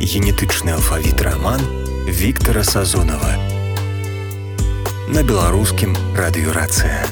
Генетычны алфавіт раман Віктара Сазонава на беларускім радыёрацыя.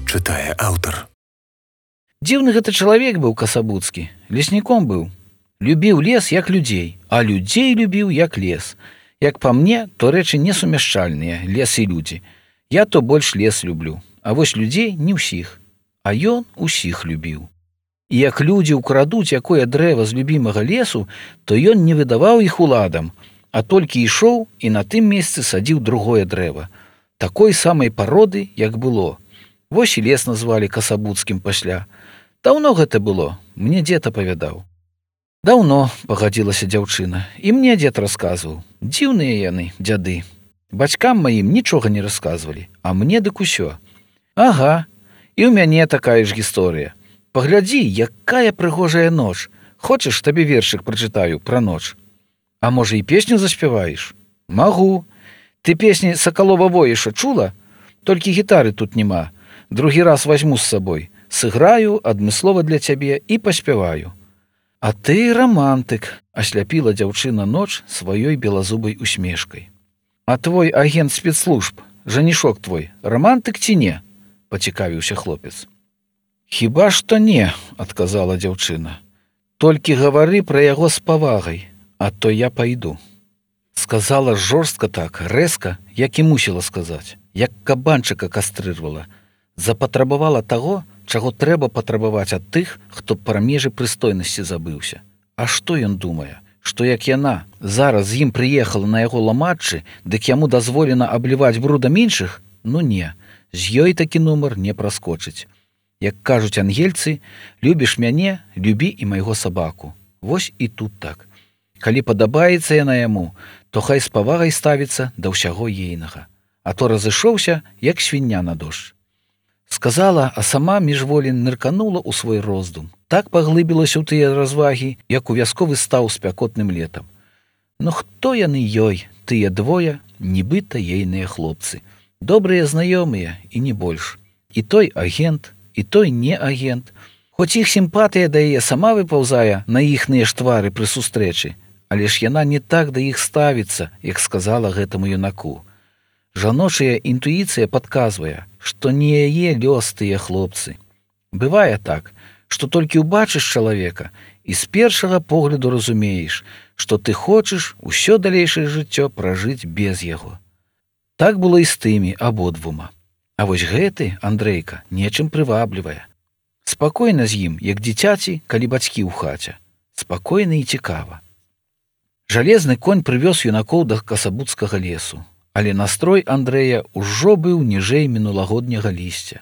Чытае аўтар. Дзіўны гэта чалавек быў Касабуцкі, лесніком быў. Любіў лес, як людзей, а людзей любіў, як лес. Як па мне, то рэчы несумяшчальныя, лес і людзі. Я то больш лес люблю, а вось людзей не ўсіх. А ён усіх любіў. І як людзі ўкрадуць якое дрэва з любімага лесу, то ён не выдаваў іх уладам, а толькі ішоў і на тым месцы садзіў другое дрэва, такой самай пароды, як было. Вось і лес назвалі Касабуцкім пасля. Даўно гэта было, мне дзед апавядаў. Даўно, пагадзілася дзяўчына, і мне дзед расказваў. Дзіўныя яны, дзяды. Бацькам маім нічога не расказвалі, а мне дык усё. Ага, і ў мяне такая ж гісторыя. Паглядзі, якая прыгожая ноч. Хочаш, табе вершык прачытаю пра ноч? А можа, і песню заспяваеш? Магу. Ты песні Сакалова Воіша чула? Толькі гітары тут няма. Другі раз вазьму з сабой. Сыграю адмыслова для цябе і паспяваю. А ты рамантык, асляпіла дзяўчына ноч сваёй белазубай усмешкай. А твой агент спецслужб, жанішок твой, рамантык ці не? Пацікавіўся хлопец. Хіба што не, адказала дзяўчына. Толькі гавары пра яго з павагай, а то я пайду. Сказала жорстка так, рэзка, як і мусіла сказаць, як кабанчыка кастрырвала. Запатрабавала таго, чаго трэба патрабаваць ад тых, хто пра межы прыстойнасці забыўся. А што ён думае? Што як яна зараз з ім прыехала на яго ламаччы, дык яму дазволена абліваць брудам іншых? Ну не, з ёй такі нумар не праскочыць. Як кажуць ангельцы, любіш мяне, любі і майго сабаку. Вось і тут так. Калі падабаецца яна яму, то хай з павагай ставіцца да ўсяго ейнага. А то разышоўся, як свіння на дождж. Сказала, а сама міжволі нырканула ў свой роздум. Так паглыбілася ў тыя развагі, як у вясковы стаў спякотным летам. Ну хто яны ёй, тыя двое, нібыта ейныя хлопцы. Добрыя знаёмыя і не больш. І той агент, і той не агент. Хоць іх сімпатыя да яе сама выпаўзае на іхныя ж твары пры сустрэчы, але ж яна не так да іх ставіцца, як сказала гэтаму юнаку. Жаночая інтуіцыя падказвае, што не яе лёс тыя хлопцы. Бывае так, што толькі ўбачыш чалавека і з першага погляду разумееш, што ты хочаш усё далейшае жыццё пражыць без яго. Так было і з тымі абодвума. А вось гэты, Андрейка, нечым прываблівае. Спакойна з ім, як дзіцяці, калі бацькі ў хаце. Спакойна і цікава. Жалезны конь прывёз юнакоў да Касабуцкага лесу, але настрой Андрэя ўжо быў ніжэй мінулагодняга лісця.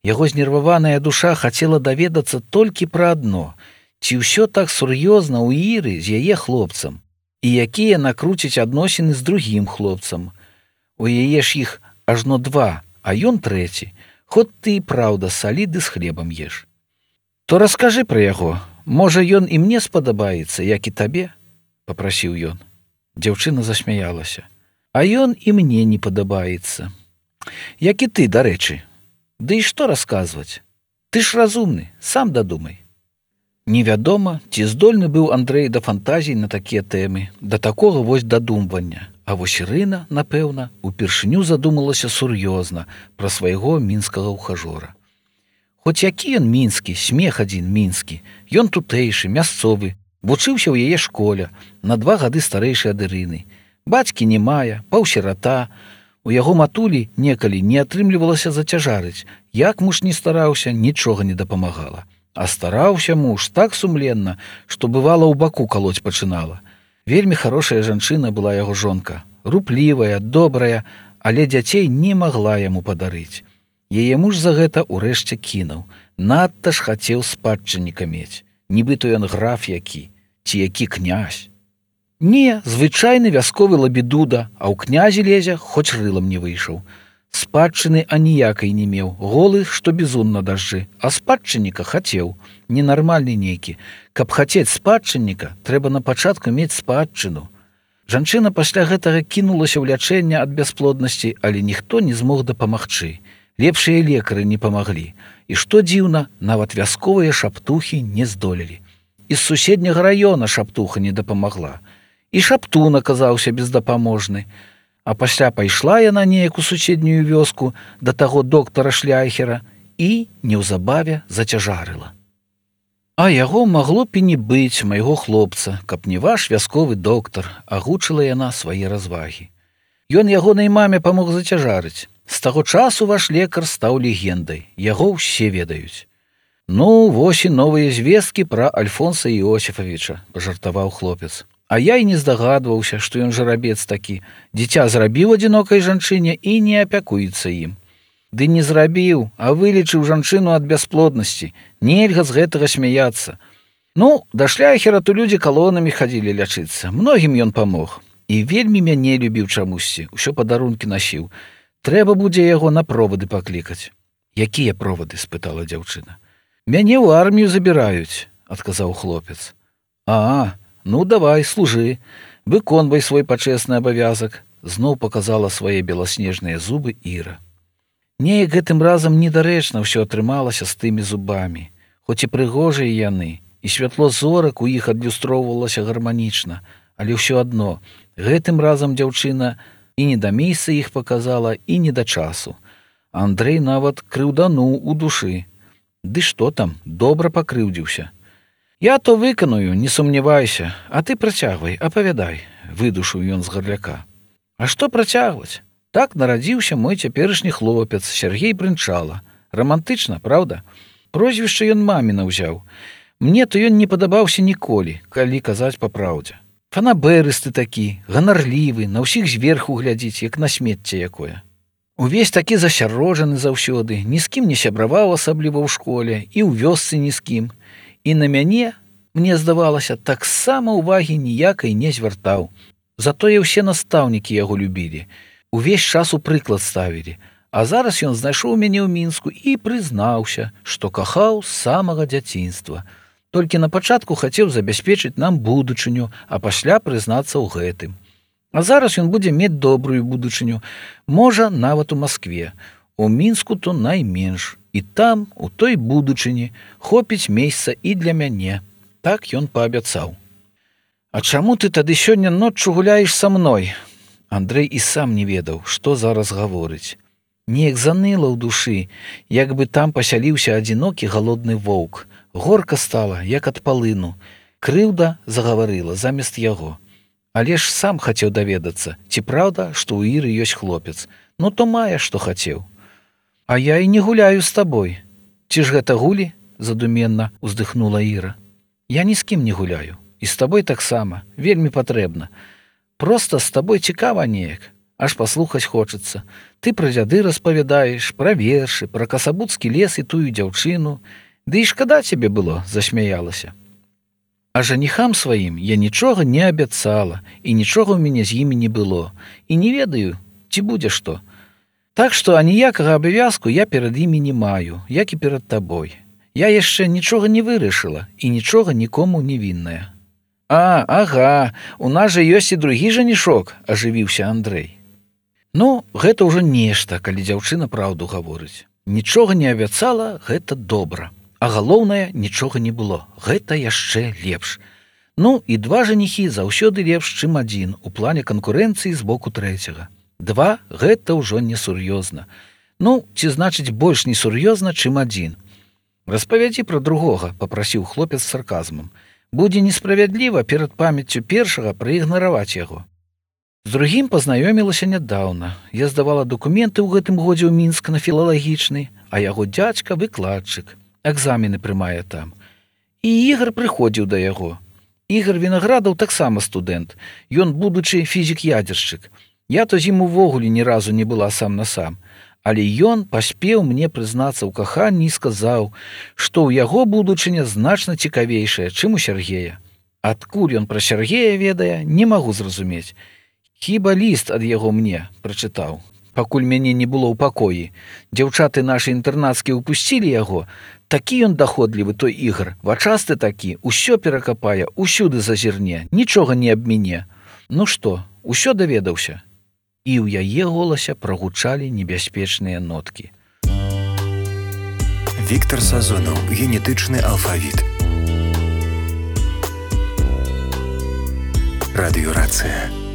Яго знерваваная душа хацела даведацца толькі пра адно, ці ўсё так сур'ёзна ў Іры з яе хлопцам, і якія накруціць адносіны з другім хлопцам. У яе ж іх ажно два, а ён трэці, хоць ты і праўда саліды з хлебам еш. То раскажы пра яго, можа, ён і мне спадабаецца, як і табе, папрасіў ён. Дзяўчына засмяялася. А ён і мне не падабаецца. Як і ты, дарэчы. Ды і што расказваць? Ты ж разумны, сам дадумай. Невядома, ці здольны быў Андрэй да фантазій на такія тэмы, да такога вось дадумвання. А вось Ірына, напэўна, упершыню задумалася сур'ёзна пра свайго мінскага ўхажора. Хоць які ён мінскі, смех адзін мінскі, ён тутэйшы, мясцовы, вучыўся ў яе школе, на 2 гады старэйшы ад Ірыны. Бацькі не мае, паўсірата. У яго матулі некалі не атрымлівалася зацяжарыць. Як муж не стараўся, нічога не дапамагала. А стараўся муж так сумленна, што бывала ў баку калоць пачынала. Вельмі хорошая жанчына была яго жонка, руплівая, добрая, але дзяцей не магла яму падарыць. Яе муж за гэта ўрэшце кінуў. Надта ж хацеў спадчынніка мець. Нібыта ён граф які, ці які князь. Не, звычайны вясковы лабідуда, а ў князі лезе, хоць рылам не выйшаў. Спадчыны аніякай не меў, голы, што бізун на дажджы, а спадчынніка хацеў, ненармальны нейкі. Каб хацець спадчынніка, трэба на пачатку мець спадчыну. Жанчына пасля гэтага кінулася ў лячэнне ад бясплоднасці, але ніхто не змог дапамагчы. Лепшыя лекары не памаглі. І што дзіўна, нават вясковыя шаптухі не здолелі. І з суседняга раёна шаптуха не дапамагла. І шаптун аказаўся бездапаможны. А пасля пайшла яна неяк у суседнюю вёску да таго доктара Шляйхера і неўзабаве зацяжарыла. А яго магло б і не быць, майго хлопца, каб не ваш вясковы доктар, агучыла яна свае развагі. Ён ягонай маме памог зацяжарыць. З таго часу ваш лекар стаў легендай, яго ўсе ведаюць. Ну, вось і новыя звесткі пра Альфонса Іосіфавіча, пажартаваў хлопец. А я і не здагадваўся, што ён жарабец такі. Дзіця зрабіў адзінокай жанчыне і не апякуецца ім. Ды не зрабіў, а вылечыў жанчыну ад бясплоднасці. Нельга з гэтага смяяцца. Ну, да Шляйхера то людзі калонамі хадзілі лячыцца. Многім ён памог. І вельмі мяне любіў чамусьці, усё падарункі насіў. Трэба будзе яго на провады паклікаць. Якія провады? Спытала дзяўчына. Мяне ў армію забіраюць, адказаў хлопец. Ну, давай, служы, выконвай свой пачэсны абавязак, зноў паказала свае беласнежныя зубы Іра. Неяк гэтым разам недарэчна ўсё атрымалася з тымі зубамі, хоць і прыгожыя яны, і святло зорак у іх адлюстроўвалася гарманічна, але ўсё адно, гэтым разам дзяўчына і не да месца іх паказала, і не да часу. Андрэй нават крыўдануў у душы. Ды што там, добра пакрыўдзіўся. Я то выканую, не сумнявайся, а ты працягвай, апавядай, выдушыў ён з гарляка. А што працягваць? Так нарадзіўся мой цяперашні хлопец, Сяргей Брынчала. Рамантычна, праўда? Прозвішча ён маміна ўзяў. Мне то ён не падабаўся ніколі, калі казаць па праўдзе. Фанаберысты такі, ганарлівы, на ўсіх зверху глядзіць, як на смецце якое. Увесь такі засяроджаны заўсёды, ні з кім не сябраваў асабліва ў школе, і ў вёсцы ні з кім. І на мяне, мне здавалася, таксама ўвагі ніякай не звяртаў. Затое ўсе настаўнікі яго любілі. Увесь час у прыклад ставілі. А зараз ён знайшоў мяне ў Мінску і прызнаўся, што кахаў з самага дзяцінства. Толькі на пачатку хацеў забяспечыць нам будучыню, а пасля прызнацца ў гэтым. А зараз ён будзе мець добрую будучыню, можа, нават у Маскве. У Мінску то найменш. І там, у той будучыні, хопіць месца і для мяне. Так ён паабяцаў. А чаму ты тады сёння ноччу гуляеш са мной? Андрэй і сам не ведаў, што зараз гаворыць. Неяк заныла ў душы, як бы там пасяліўся адзінокі галодны воўк. Горка стала, як ад палыну. Крыўда загаварыла замест яго. Але ж сам хацеў даведацца, ці праўда, што ў Іры ёсць хлопец. Ну то мае, што хацеў. А я і не гуляю з табой. Ці ж гэта гулі? Задуменна уздыхнула Іра. Я ні з кім не гуляю. І з табой таксама. Вельмі патрэбна. Проста з табой цікава неяк. Аж паслухаць хочацца. Ты пра дзяды распавядаеш, пра вершы, пра касабуцкі лес і тую дзяўчыну. Ды і шкада цябе было, засмяялася. А жаніхам сваім я нічога не абяцала, і нічога ў мяне з імі не было. І не ведаю, ці будзе што. Так што аніякага абавязку я перад імі не маю, як і перад табой. Я яшчэ нічога не вырашыла і нічога нікому не вінная. Ага, у нас жа ёсць і другі жанішок, ажывіўся Андрэй. Ну, гэта ўжо нешта, калі дзяўчына праўду гаворыць. Нічога не абяцала, гэта добра. А галоўнае, нічога не было. Гэта яшчэ лепш. Ну, і два жаніхі заўсёды лепш, чым адзін, у плане канкурэнцыі з боку трэцяга. Два – гэта ўжо несур'ёзна. Ну, ці значыць больш несур'ёзна, чым адзін. Распавядзі пра другога, папрасіў хлопец з сарказмам. Будзе несправядліва перад памяццю першага праігнараваць яго. З другім пазнаёмілася нядаўна. Я здавала дакументы ў гэтым годзе ў Мінск на філалагічны, а яго дзядзька выкладчык. Экзамены прымае там. І Ігар прыходзіў да яго. Ігар Вінаградаў таксама студэнт. Ён будучы фізік-ядзершчык. Я то з ім увогуле ні разу не была сам на сам. Але ён паспеў мне прызнацца ў каханні і сказаў, што ў яго будучыня значна цікавейшая, чым у Сяргея. Адкуль ён пра Сяргея ведае, не магу зразумець. Хіба ліст ад яго мне прачытаў. Пакуль мяне не было ў пакоі. Дзяўчаты нашы інтэрнацкія ўпусцілі яго. Такі ён даходлівы, той Ігар, вачасты такі, усё перакапае, усюды зазірне, нічога не абміне. Ну што, усё даведаўся? І ў яе голасе прагучалі небяспечныя ноткі. Віктар Сазонаў. Генетычны алфавіт. Радыёрацыя.